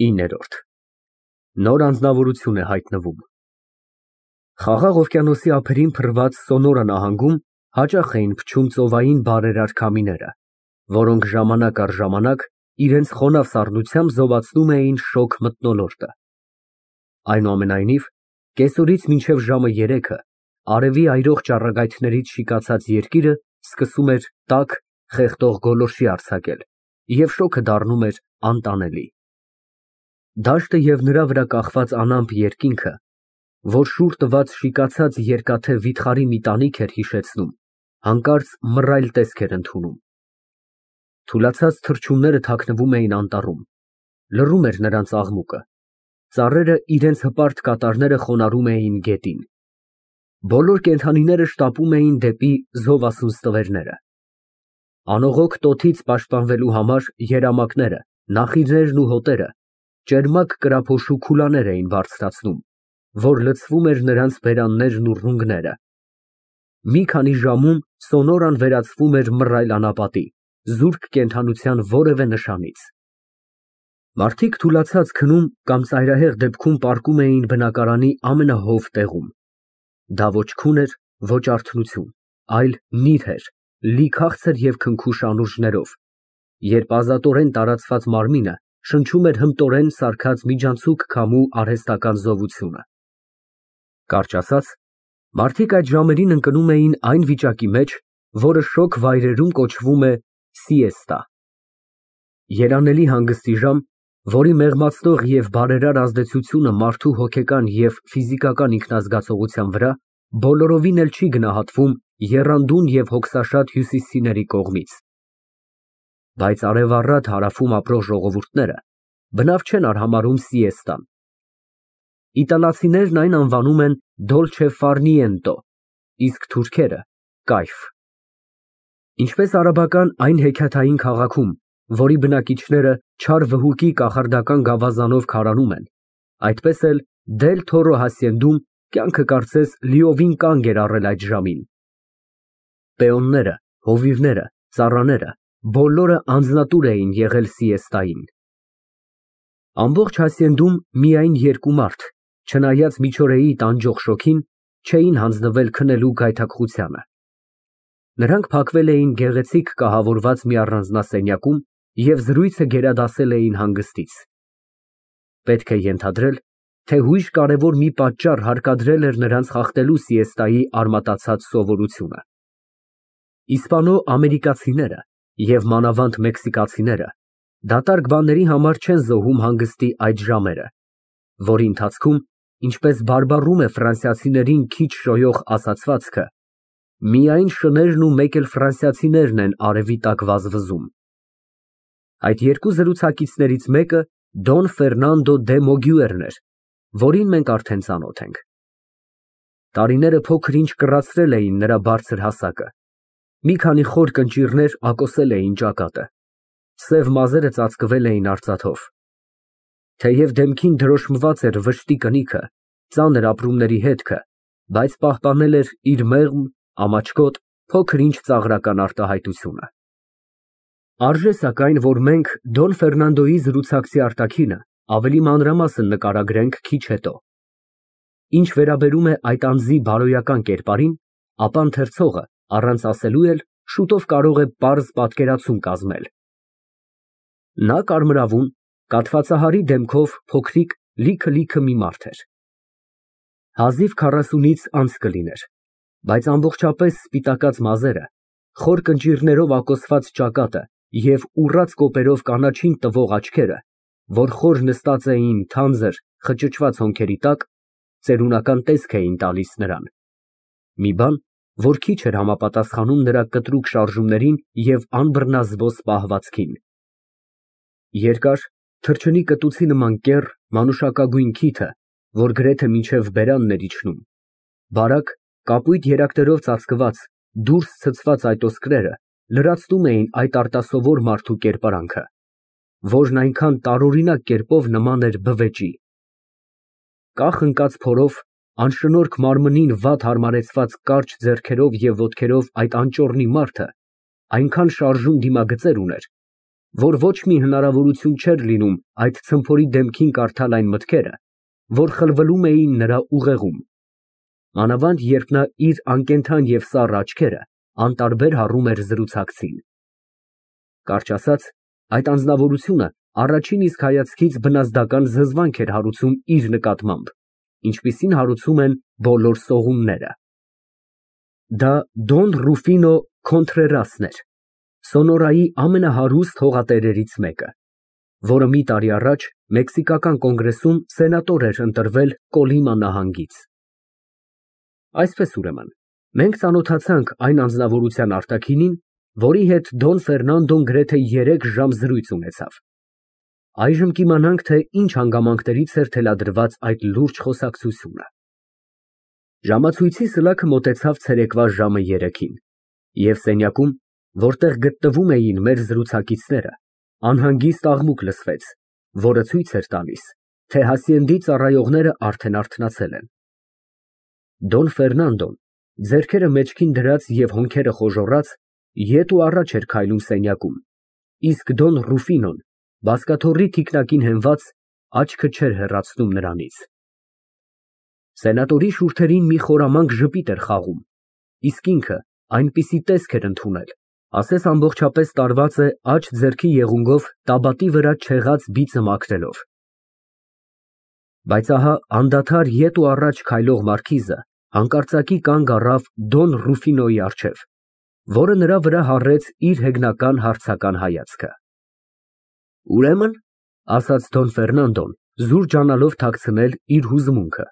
9։ Նոր անձնավորություն է հայտնվում։ Խաղաղ օվկիանոսի ափերին փռված Սոնորա նահանգում հաճախ էին փչում ծովային բարերար քամիները, որոնք ժամանակ առ ժամանակ իրենց խոնավ սառնությամբ զովացնում էին շոգ մթնոլորտը։ Այնուամենայնիվ, կեսօրից մինչև ժամը 3-ը արևի այրող ճառագայթներից շիկացած երկիրը սկսում էր տաք, խեղդող գոլորշի արձակել, և շոգը դառնում էր անտանելի։ Դաշտը և նրա վրա կախված անամպ երկինքը, որ շուռ տված շիկացած երկաթե վիթխարի մի տանիք էր հիշեցնում, հանկարծ մռայլ տեսք էր ընդունում։ Թուլացած թռչունները թաքնվում էին անտառում, լռում էր նրանց աղմուկը, ծառերը իրենց հպարտ կատարները խոնարհում էին գետին։ Բոլոր կենդանիները շտապում էին դեպի զովասուն ստվերները։ Անողոք տոթից պաշտպանվելու համար երամակները, նախիջներն ու հոտերը ճերմակ կրափոշու քուլաներ էին բարձրացնում, որ լցվում էր նրանց բերաններն ու ռունգները։ Մի քանի ժամում Սոնորան վերածվում էր մռայլ անապատի, զուրկ կենդանության որևէ նշանից։ Մարդիկ թուլացած քնում կամ ծայրահեղ դեպքում պառկում էին բնակարանի ամենահով տեղում։ Դա ոչ քուն էր, ոչ արթնություն, այլ նիրհ էր, լի քաղցր և քնքուշ անուրջներով, երբ ազատորեն տարածված մարմինը շնչում էր հմտորեն սարքած միջանցիկ քամու արհեստական զովությունը։ Կարճ ասած, մարդիկ այդ ժամերին ընկնում էին այն վիճակի մեջ, որը շոգ վայրերում կոչվում է սիեստա։ Երանելի հանգստի ժամ, որի մեղմացնող և բարերար ազդեցությունը մարդու հոգեկան և ֆիզիկական ինքնազգացողության վրա բոլորովին էլ չի գնահատվում եռանդուն և հոգսաշատ հյուսիսցիների կողմից։ Բայց արևառատ հարավում ապրող ժողովուրդները բնավ չեն արհամարհում սիեստան։ Իտալացիներն այն անվանում են դոլչե ֆար նիենտո, իսկ թուրքերը՝ կայֆ։ Ինչպես արաբական այն հեքիաթային քաղաքում, որի բնակիչները չար վհուկի կախարդական գավազանով քարանում են, այդպես էլ Դել Թորո հասցենդում կյանքը կարծես լիովին կանգ էր առել այդ ժամին։ Պեոնները, հովիվները, ծառաները բոլորը անձնատուր էին եղել սիեստային։ Ամբողջ հասցենդում միայն երկու մարդ, չնայած միջօրեի տանջող շոգին, չէին հանձնվել քնելու գայթակղությանը։ Նրանք փակվել էին գեղեցիկ կահավորված մի առանձնասենյակում և զրույցը գերադասել էին հանգստից։ Պետք է ենթադրել, թե հույժ կարևոր մի պատճառ հարկադրել էր նրանց խախտելու սիեստայի արմատացած սովորությունը։ Իսպանո֊ամերիկացիները և մանավանդ մեքսիկացիները դատարկ բաների համար չեն զոհում հանգստի այդ ժամերը, որի ընթացքում, ինչպես բարբառում է ֆրանսիացիներին քիչ շոյող ասացվածքը, միայն շներն ու մեկ էլ ֆրանսիացիներն են արևի տակ վազվզում։ Այդ երկու զրուցակիցներից մեկը Դոն Ֆերնանդո դե Մոգյուերն էր, որին մենք արդեն ծանոթ ենք։ Տարիները փոքր-ինչ կռացրել էին նրա բարձր հասակը, մի քանի խոր կնճիռներ ակոսել էին ճակատը, սև մազերը ծածկվել էին արծաթով։ Թեև դեմքին դրոշմված էր վշտի կնիքը, ծանր ապրումների հետքը, բայց պահպանել էր իր մեղմ, ամաչկոտ, փոքր-ինչ ծաղրական արտահայտությունը։ Արժե սակայն, որ մենք Դոն Ֆերնանդոյի զրուցակցի արտաքինը ավելի մանրամասն նկարագրենք քիչ հետո։ Ինչ վերաբերում է այդ անձի բարոյական կերպարին, ապա ընթերցողը, առանց ասելու էլ, շուտով կարող է պարզ պատկերացում կազմել։ Նա կարմրավուն, կաթվածահարի դեմքով փոքրիկ, լիքը մի մարդ էր։ Հազիվ 40-ից անց կլիներ, բայց ամբողջապես սպիտակած մազերը, խոր կնճիռներով ակոսված ճակատը և ուռած կոպերով կանաչին տվող աչքերը, որ խոր նստած էին թանձր, խճճված հոնքերի տակ, ծերունական տեսք էին տալիս նրան։ Մի բան, որ քիչ էր համապատասխանում նրա կտրուկ շարժումներին և անբռնազբոս պահվածքին։ Երկար, թռչնի կտուցի նման կեռ, մանուշակագույն քիթը, որ գրեթե մինչև բերանն էր իջնում, բարակ, կապույտ երակներով ծածկված, դուրս ցցված այդ ոսկրերը լրացնում էին այդ արտասովոր մարդու կերպարանքը, որն այնքան տարօրինակ կերպով նման էր բվեճի։ Կախ ընկած փորով, անշնորհք մարմնին վատ հարմարեցված կարճ ձեռքերով և ոտքերով այդ անճոռնի մարդը այնքան շարժուն դիմագծեր ուներ, որ ոչ մի հնարավորություն չէր լինում այդ ցմփորի դեմքին կարդալ այն մտքերը, որ խլվլում էին նրա ուղեղում, մանավանդ երբ նա իր անկենդան և սառը աչքերը անտարբեր հառում էր զրուցակցին։ Կարճ ասած, այդ անձնավորությունը առաջին իսկ հայացքից բնազդական զզվանք էր հարուցում իր նկատմամբ, ինչպիսին հարուցում են բոլոր սողունները։ Դա Դոն Ռուֆինո Քոնթրերասն էր, Սոնորայի ամենահարուստ հողատերերից մեկը, որը մի տարի առաջ Մեքսիկական կոնգրեսում սենատոր էր ընտրվել Կոլիմա նահանգից։ Այսպես ուրեմն, մենք ծանոթացանք այն անձնավորության արտաքինին, որի հետ Դոն Ֆերնանդոն գրեթե 3 ժամ զրույց ունեցավ։ Այժմ կիմանանք, թե ինչ հանգամանքներից էր թելադրված այդ լուրջ խոսակցությունը։ Ժամացույցի սլաքը մոտեցավ ցերեկվա ժամը 3-ին, և սենյակում, որտեղ գտնվում էին մեր զրուցակիցները, անհանգիստ աղմուկ լսվեց, որը ցույց էր տալիս, թե հասցենդի ծառայողները արդեն արթնացել են։ Դոն Ֆերնանդոն, ձեռքերը մեջքին դրած և հոնքերը խոժոռած, ետ ու առաջ էր քայլում սենյակում, իսկ Դոն Ռուֆինոն, բազկաթոռի թիկնակին հենված, աչքը չէր հեռացնում նրանից։ Սենատորի շուրթերին մի խորամանկ ժպիտ էր խաղում, իսկ ինքը այնպիսի տեսք էր ընդունել, ասես ամբողջապես տարված է աջ ձեռքի եղունգով տաբատի վրա չեղած բիծը մաքրելով։ Բայց ահա անդադար ետ ու առաջ քայլող մարքիզը հանկարծակի կանգ առավ Դոն Ռուֆինոյի առջև, որը նրա վրա հառեց իր հեգնական հարցական հայացքը։ Ուրեմն, ասաց Դոն Ֆերնանդոն, զուր ջանալով թաքցնել իր հուզմունքը,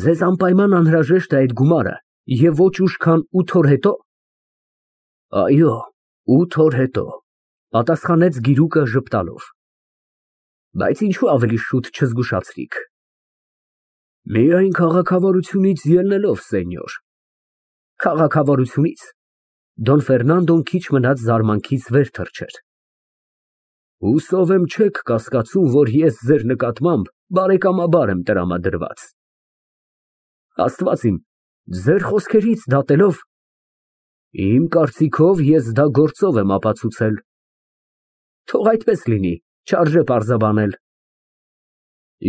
ձեզ անպայման անհրաժեշտ է այդ գումարը և ոչ ուշ, քան 8 օր հետո։ Այո, 8 օր հետո, պատասխանեց գիրուկը ժպտալով։ Բայց ինչու ավելի շուտ չզգուշացրիք։ Միայն քաղաքավարությունից ելնելով, սենյոր։ Քաղաքավարությունից։ Դոն Ֆերնանդոն քիչ մնաց զարմանքից վեր թռչեր։ Հուսով եմ չեք կասկածում, որ ես ձեր նկատմամբ բարեկամաբար եմ տրամադրված։ Աստված իմ, ձեր խոսքերից դատելով, իմ կարծիքով ես դա գործով եմ ապացուցել։ Թող այդպես լինի, չարժե պարզաբանել։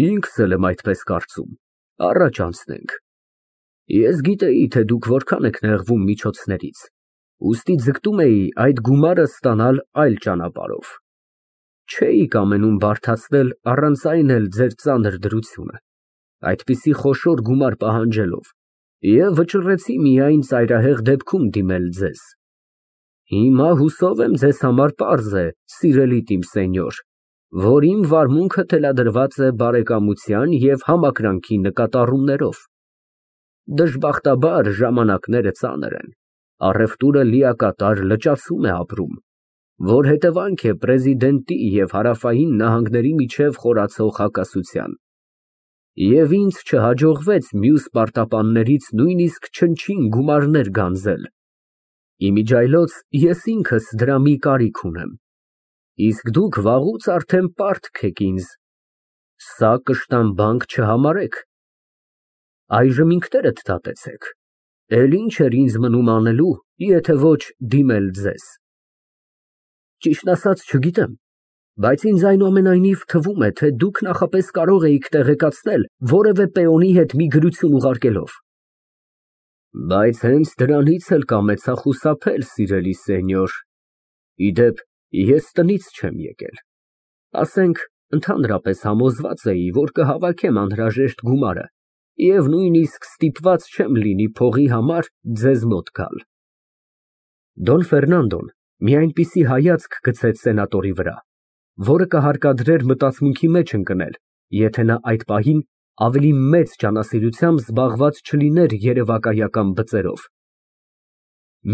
Ինքս էլ եմ այդպես կարծում, առաջ անցնենք։ Ես գիտեի, թե դուք որքան եք նեղվում միջոցներից, ուստի ձգտում էի այդ գումարը ստանալ այլ ճանապարհով։ Չէի կամենում բարդացնել առանց այն էլ ձեր ծանր դրությունը, այդպիսի խոշոր գումար պահանջելով, և վճռեցի միայն ծայրահեղ դեպքում դիմել ձեզ։ Հիմա հուսով եմ ձեզ համար պարզ է, սիրելի իմ սենյոր, որ իմ վարմունքը թելադրված է բարեկամության և համակրանքի նկատառումներով։ Դժբախտաբար ժամանակները ծանր են, առևտուրը լիակատար լճացում է ապրում, որ հետևանք է պրեզիդենտի և հարավային նահանգների միջև խորացող հակասության, և ինձ չհաջողվեց մյուս պարտապաններից նույնիսկ չնչին գումարներ գանձել։ Իմիջիայլոց ես ինքս դրա մի կարիք ունեմ, իսկ դուք վաղուց արդեն պարտք եք ինձ, սա կշտամբանք չհամարեք։ Այժմ ինքներդ դատեցեք, էլ ինչ էր ինձ մնում անելու, եթե ոչ դիմել ձեզ։ Ճիշտն ասած չգիտեմ, բայց ինձ այնուամենայնիվ թվում է, թե դուք նախապես կարող էիք տեղեկացնել որևէ պեոնի հետ մի գրություն ուղարկելով։ Բայց հենց դրանից էլ կամեցա խուսափել, սիրելի սենյոր։ Ի դեպ, ես տնից չեմ եկել։ Ասենք, ընդհանրապես համոզված էի, որ կհավաքեմ անհրաժեշտ գումարը և նույնիսկ ստիպված չեմ լինի փողի համար ձեզ մոտ գալ։ Դոն Ֆերնանդոն մի այնպիսի հայացք գցեց սենատորի վրա, որը կհարկադրեր մտածմունքի մեջ ընկնել, եթե նա այդ պահին ավելի մեծ ջանասիրությամբ զբաղված չլիներ երևակայական բծերով։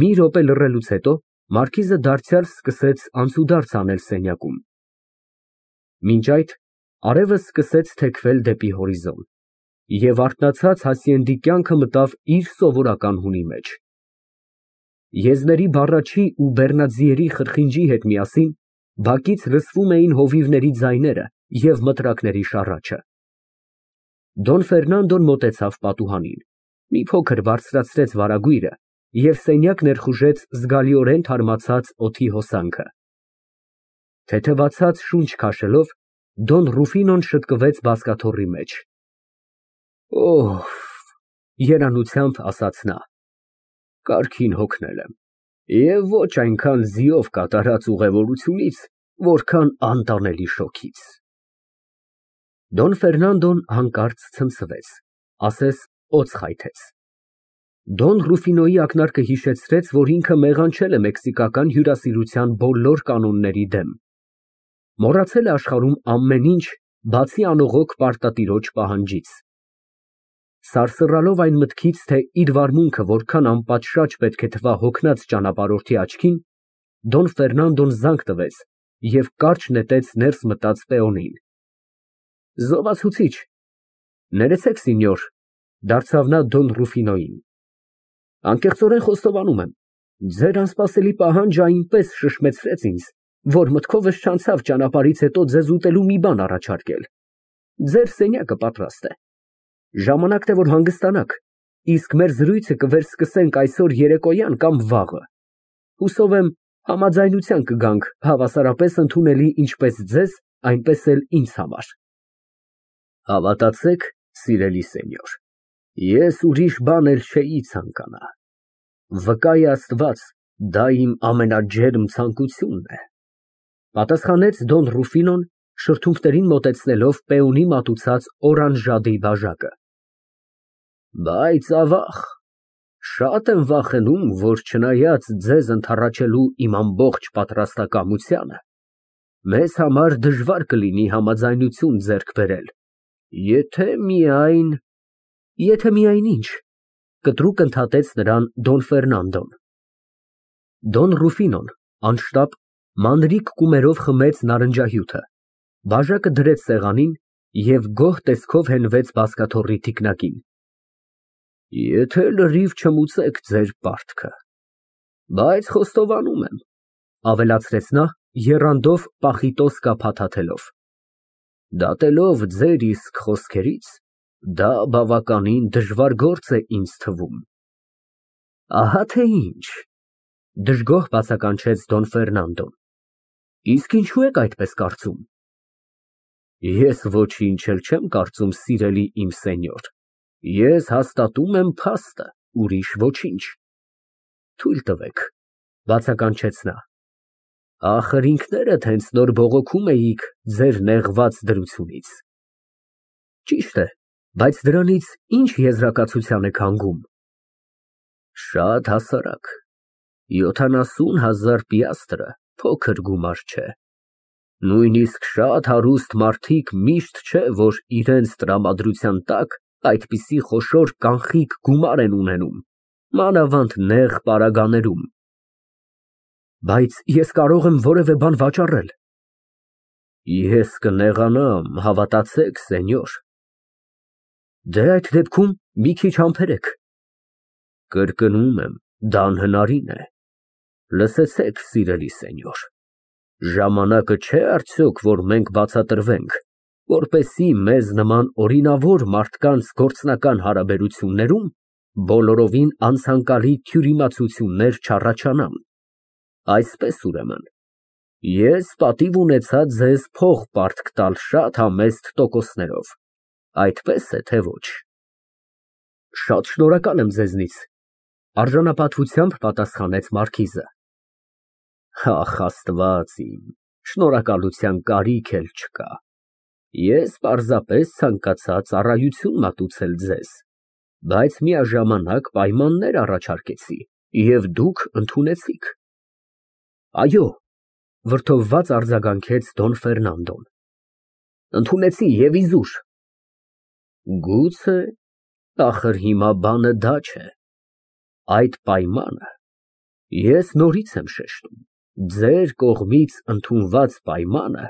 Մի րոպե լռելուց հետո մարքիզը դարձյալ սկսեց անցուդարձ անել սենյակում։ Մինչ այդ արևը սկսեց թեքվել դեպի հորիզոն, և արթնացած հասցենդի կյանքը մտավ իր սովորական հունի մեջ։ Եզների բառաչի ու բեռնաձիերի խրխինջի հետ միասին բակից լսվում էին հովիվների ձայները և մտրակների շառաչը։ Դոն Ֆերնանդոն մոտեցավ պատուհանին, մի փոքր բարձրացրեց վարագույրը և սենյակ ներխուժեց զգալիորեն թարմացած օդի հոսանքը։ Թեթևացած շունչ քաշելով, Դոն Ռուֆինոն շտկվեց բազկաթոռի մեջ։ Օհ, երանությամբ ասաց նա, կարգին հոգնել եմ, և ոչ այնքան ձիով կատարած ուղևորությունից, որքան անտանելի շոգից։ Դոն Ֆերնանդոն հանկարծ ցնցվեց, ասես օձ խայթեց։ Դոն Ռուֆինոյի ակնարկը հիշեցրեց, որ ինքը մեղանչել է մեքսիկական հյուրասիրության բոլոր կանոնների դեմ, մոռացել է աշխարհում ամեն ինչ, բացի անողոք պարտատիրոջ պահանջից։ Սարսռալով այն մտքից, թե իր վարմունքը որքան անպատշաճ պետք է թվա հոգնած ճանապարհորդի աչքին, Դոն Ֆերնանդոն զանգ տվեց և կարճ նետեց ներս մտած պեոնին։ Զովացուցիչ։ Ներեցեք, սինյոր, դարձավ նա Դոն Ռուֆինոյին։ Անկեղծորեն խոստովանում եմ, ձեր անսպասելի պահանջը այնպես շշմեցրեց ինձ, որ մտքովս չանցավ ճանապարհից հետո ձեզ ուտելու մի բան առաջարկել։ Ձեր սենյակը պատրաստ է։ Ժամանակն է, որ հանգստանաք, իսկ մեր զրույցը կվերսկսենք այսօր երեկոյան կամ վաղը։ Հուսով եմ, համաձայնության կգանք հավասարապես ընդունելի ինչպես ձեզ, այնպես էլ ինձ համար։ Հավատացեք, սիրելի սենյոր, ես ուրիշ բան էլ չէի ցանկանա։ Վկա է Աստված, դա իմ ամենաջերմ ցանկությունն է, պատասխանեց Դոն Ռուֆինոն, շրթունքներին մոտեցնելով պեոնի մատուցած օրանժադի բաժակը։ Բայց ավաղ, շատ եմ վախենում, որ չնայած ձեզ ընդառաջելու իմ ամբողջ պատրաստակամությանը, մեզ համար դժվար կլինի համաձայնություն ձեռք բերել, եթե միայն ինչ, կտրուկ ընդհատեց նրան Դոն Ֆերնանդոն։ Դոն Ռուֆինոն անշտապ մանրիկ կումերով խմեց նարնջահյութը, բաժակը դրեց սեղանին և գոհ տեսքով հենվեց բազկաթոռի թիկնակին։ Եթե լրիվ չմուծեք ձեր պարտքը, բայց խոստովանում եմ, ավելացրեց նա, եռանդով պախիտոսկա փաթաթելով, դատելով ձեր իսկ խոսքերից, դա բավականին դժվար գործ է ինձ թվում։ Ահա թե ինչ, դժգոհ բացականչեց Դոն Ֆերնանդոն, իսկ ինչու եք այդպես կարծում։ Ես ոչինչ էլ չեմ կարծում, սիրելի իմ սենյոր, ես հաստատում եմ փաստը, ուրիշ ոչինչ։ Թույլ տվեք, բացականչեց նա, ախր ինքներդ հենց նոր բողոքում էիք ձեր նեղված դրությունից։ Ճիշտ է, բայց դրանից ինչ եզրակացության եք հանգում։ Շատ հասարակ, 70,000 պիաստրը փոքր գումար չէ։ Նույնիսկ շատ հարուստ մարդիկ միշտ չէ, որ իրենց տրամադրության տակ այդպիսի խոշոր կանխիկ գումար են ունենում, մանավանդ նեղ պարագաներում։ Բայց ես կարող եմ որևէ բան վաճառել։ Ես կնեղանամ, հավատացեք, սենյոր։ Դե այդ դեպքում մի քիչ համբերեք։ Կրկնում եմ, դա անհնարին է։ Լսեցեք, սիրելի սենյոր, ժամանակը չէ արդյոք, որ մենք բացատրվենք, որպեսզի մեզ նման օրինավոր մարդկանց գործնական հարաբերություններում բոլորովին անցանկալի թյուրիմացություններ չառաջանան։ Այսպես ուրեմն, ես պատիվ ունեցա ձեզ փող պարտք տալ շատ համեստ տոկոսներով, այդպես է, թե ոչ։ Շատ շնորհակալ եմ ձեզնից, արժանապատվությամբ պատասխանեց մարքիզը։ Ախ, Աստված իմ, շնորհակալության կարիք էլ չկա։ Ես պարզապես ցանկացա ծառայություն մատուցել ձեզ, բայց միաժամանակ պայմաններ առաջարկեցի, և դուք ընդունեցիք։ Այո, վրդովված արձագանքեց Դոն Ֆերնանդոն։ Ընդունեցի և իզուր։ Գուցե, ախր հիմա բանը դա չէ։ Այդ պայմանը, ես նորից եմ շեշտում, ձեր կողմից ընդունված պայմանը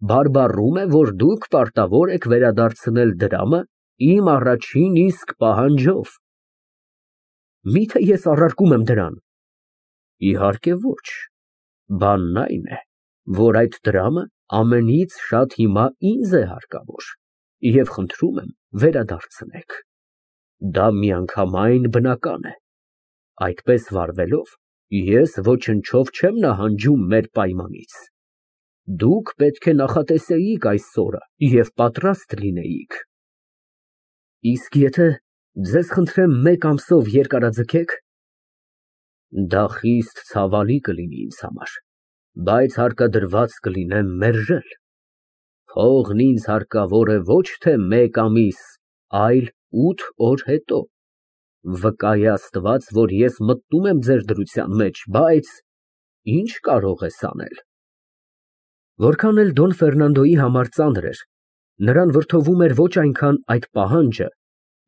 բարբառում է, որ դուք պարտավոր եք վերադարձնել դրամը իմ առաջին իսկ պահանջով։ Միթե ես առարկում եմ դրան։ Իհարկե ոչ, բանն այն է, որ այդ դրամը ամենից շատ հիմա ինձ է հարկավոր, և խնդրում եմ վերադարձնեք։ Դա միանգամայն բնական է։ Այդպես վարվելով, ես ոչնչով չեմ նահանջում մեր պայմանից։ Դուք պետք է նախատեսեիք այս օրը և պատրաստ լինեիք։ Իսկ եթե ձեզ խնդրեմ մեկ ամսով երկարաձգեք, դա խիստ ցավալի կլինի ինձ համար, բայց հարկադրված կլինեմ մերժել։ Փողն ինձ հարկավոր է ոչ թե մեկ ամիս, այլ 8 օր հետո։ Վկա է Աստված, որ ես մտնում եմ ձեր դրության մեջ, բայց ինչ կարող ես անել։ Որքան էլ Դոն Ֆերնանդոյի համար ծանր էր, նրան վրդովում էր ոչ այնքան այդ պահանջը,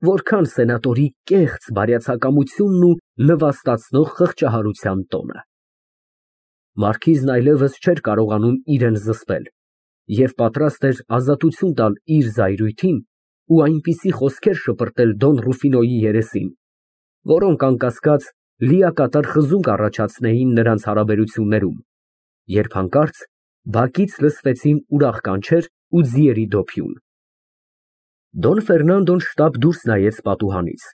որքան սենատորի կեղծ բարյացակամությունն ու նվաստացնող խղճահարության տոնը։ Մարքիզն այլևս չէր կարողանում իրեն զսպել և պատրաստ էր ազատություն տալ իր զայրույթին ու այնպիսի խոսքեր շպրտել Դոն Ռուֆինոյի երեսին, որոնք անկասկած լիակատար խզում կառաջացնեին նրանց հարաբերություններում, երբ հանկարծ բակից լսվեցին ուրախ կանչեր ու ձիերի դոփյուն։ Դոն Ֆերնանդոն շտապ դուրս նայեց պատուհանից,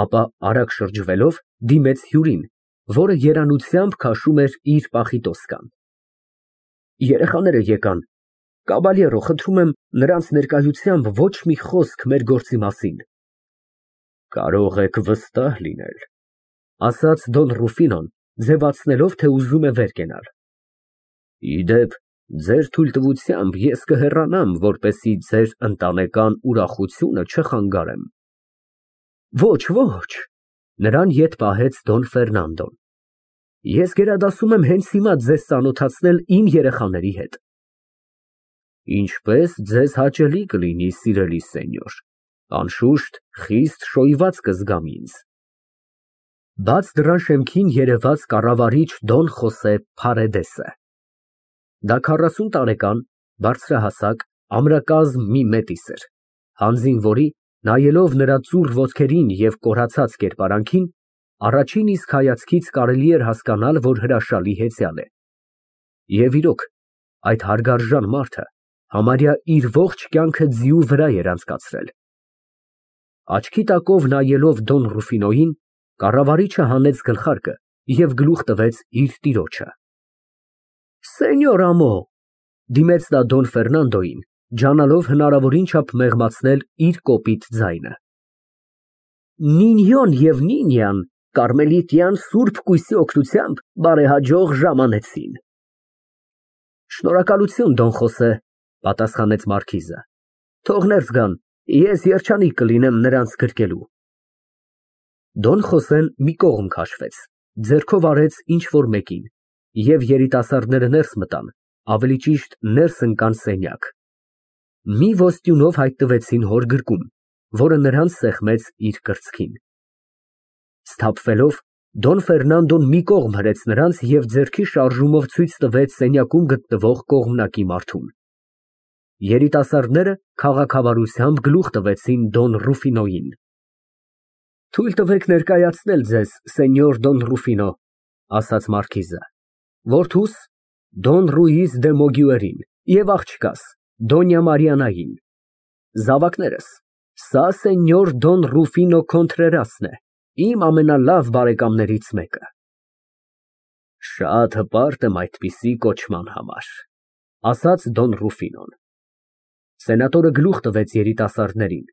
ապա արագ շրջվելով դիմեց հյուրին, որը երանությամբ քաշում էր իր պախիտոսկան։ Երեխաները եկան։ Կաբալյերո, խնդրում եմ նրանց ներկայությամբ ոչ մի խոսք մեր գործի մասին։ Կարող եք վստահ լինել, ասաց Դոն Ռուֆինոն, ձևացնելով, թե ուզում է վեր կենալ։ Ի դեպ, ձեր թույլտվությամբ ես կհեռանամ, որպեսզի ձեր ընտանեկան ուրախությունը չխանգարեմ։ Ոչ, ոչ, նրան ետ պահեց Դոն Ֆերնանդոն։ Ես գերադասում եմ հենց հիմա ձեզ ծանոթացնել իմ երեխաների հետ։ Ինչպես ձեզ հաճելի կլինի, սիրելի սենյոր, անշուշտ խիստ շոյված կզգամ ինձ։ Բաց դռան շեմքին երևաց կառավարիչ Դոն Խոսե Փարեդեսը։ Դա 40 տարեկան, բարձրահասակ, ամրակազմ մի մետիս էր, հանձին որի, նայելով նրա ծուռ ոտքերին և կորացած կերպարանքին, առաջին իսկ հայացքից կարելի էր հասկանալ, որ հրաշալի հեծյալ է։ Եվ իրոք, այդ հարգարժան մարդը համարյա իր ողջ կյանքը ձիու վրա էր անցկացրել։ Աչքի տակով նայելով Դոն Ռուֆինոյին, կառավարիչը հանեց գլխարկը և գլուխ տվեց իր տիրոջը։ Սենյոր ամո, դիմեց նա Դոն Ֆերնանդոյին, ջանալով հնարավորին չափ մեղմացնել իր կոպիտ ձայնը։ Նինьոն և Նինյան կարմելիտյան սուրբ կույսի օգնությամբ բարեհաջող ժամանեցին։ Շնորհակալություն, Դոն Խոսե, պատասխանեց մարքիզը։ Թող ներս գան, ես երջանիկ կլինեմ նրանց գրկելու։ Դոն Խոսեն մի կողմ քաշվեց, ձեռքով արեց ինչ֊որ մեկին, և երիտասարդները ներս մտան, ավելի ճիշտ ներս ընկան սենյակ։ Մի ոստյունով հայտնվեցին հոր գրկում, որը նրանց սեղմեց իր կրծքին։ Սթափվելով, Դոն Ֆերնանդոն մի կողմ հրեց նրանց և ձեռքի շարժումով ցույց տվեց սենյակում գտնվող կողմնակի մարդուն։ Երիտասարդները քաղաքավարությամբ գլուխ տվեցին Դոն Ռուֆինոյին։ Թույլ տվեք ներկայացնել ձեզ, սենյոր Դոն Ռուֆինո, ասաց մարքիզը, որդուս Դոն Ռուիզ դե Մոգյուերին և աղջկաս Դոնյա Մարիանային, զավակներս, սա սենյոր Դոն Ռուֆինո Քոնտրերասն է, իմ ամենալավ բարեկամներից մեկը։ Շատ հպարտ եմ այդպիսի կոչման համար, ասաց Դոն Ռուֆինոն։ Սենատորը գլուխ տվեց երիտասարդներին,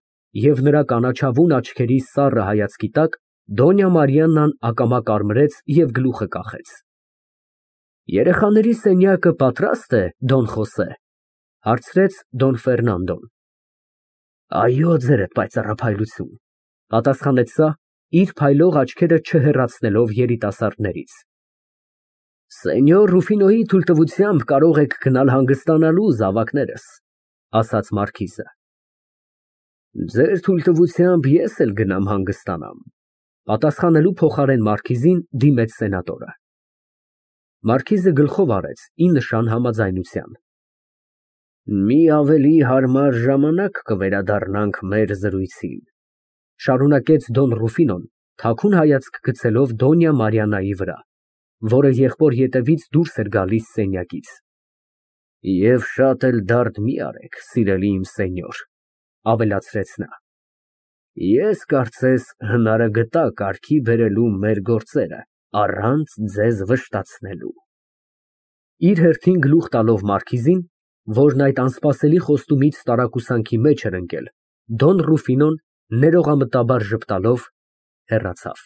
և նրա կանաչավուն աչքերի սառը հայացքի տակ Դոնյա Մարիաննան ակամա կարմրեց և գլուխը կախեց։ Երեխաների սենյակը պատրաստ է, Դոն Խոսե, հարցրեց Դոն Ֆերնանդոն։ Այո, ձերդ պայծառափայլություն, պատասխանեց նա, իր փայլող աչքերը չհեռացնելով երիտասարդներից։ Սենյոր Ռուֆինոյի թույլտվությամբ կարող եք գնալ հանգստանալու, զավակներս, ասաց մարքիզը։ Ձեր թույլտվությամբ ես էլ գնամ հանգստանամ, պատասխանելու փոխարեն մարքիզին դիմեց սենատորը։ Մարքիզը գլխով արեց ի նշան համաձայնության։ Մի ավելի հարմար ժամանակ կվերադառնանք մեր զրույցին, շարունակեց Դոն Ռուֆինոն, թաքուն հայացք գցելով Դոնյա Մարիաննայի վրա, որը եղբոր ետևից դուրս էր գալիս սենյակից։ Եվ շատ էլ դարդ մի արեք, սիրելի իմ սենյոր, ավելացրեց նա։ Ես կարծես հնարագտա կարգի բերելու մեր գործերը, առանց ձեզ վշտացնելու։ Իր հերթին գլուխ տալով մարքիզին, որն այդ անսպասելի խոստումից տարակուսանքի մեջ էր ընկել, Դոն Ռուֆինոն ներողամտաբար ժպտալով հեռացավ։